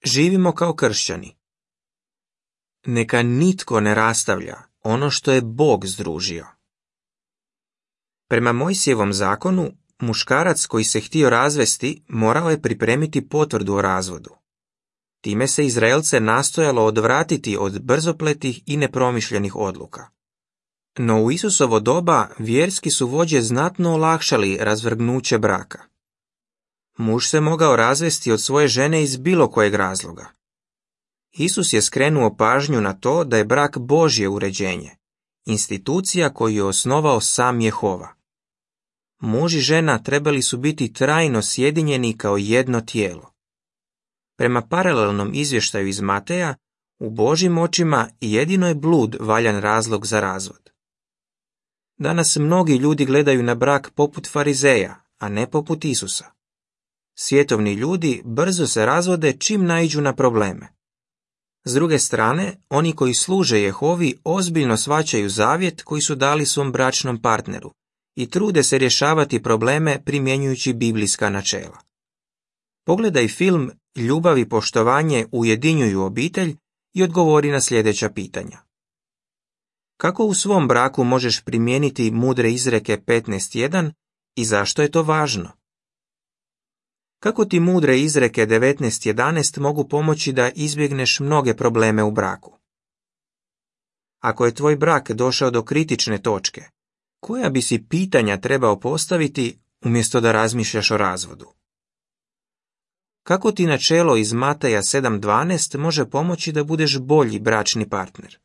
Živimo kao kršćani. Neka nitko ne rastavlja ono što je Bog združio. Prema Mojsijevom zakonu, muškarac koji se htio razvesti morao je pripremiti potvrdu o razvodu. Time se Izraelce nastojalo odvratiti od brzopletih i nepromišljenih odluka. No u Isusovo doba vjerski su vođe znatno olakšali razvrgnuće braka. Muž se mogao razvesti od svoje žene iz bilo kojeg razloga. Isus je skrenuo pažnju na to da je brak Božje uređenje, institucija koju je osnovao sam Jehova. Muž i žena trebali su biti trajno sjedinjeni kao jedno tijelo. Prema paralelnom izvještaju iz Mateja, u Božjim očima jedino je blud valjan razlog za razvod. Danas mnogi ljudi gledaju na brak poput farizeja, a ne poput Isusa. Svjetovni ljudi brzo se razvode čim naiđu na probleme. S druge strane, oni koji služe Jehovi ozbiljno shvaćaju zavjet koji su dali svom bračnom partneru i trude se rješavati probleme primjenjujući biblijska načela. Pogledaj film Ljubav i poštovanje ujedinjuju obitelj i odgovori na sljedeća pitanja. Kako u svom braku možeš primijeniti mudre izreke 15.1 i zašto je to važno? Kako ti mudre izreke 19.11 mogu pomoći da izbjegneš mnoge probleme u braku? Ako je tvoj brak došao do kritične točke, koja bi si pitanja trebao postaviti umjesto da razmišljaš o razvodu? Kako ti načelo iz Mateja 7.12 može pomoći da budeš bolji bračni partner?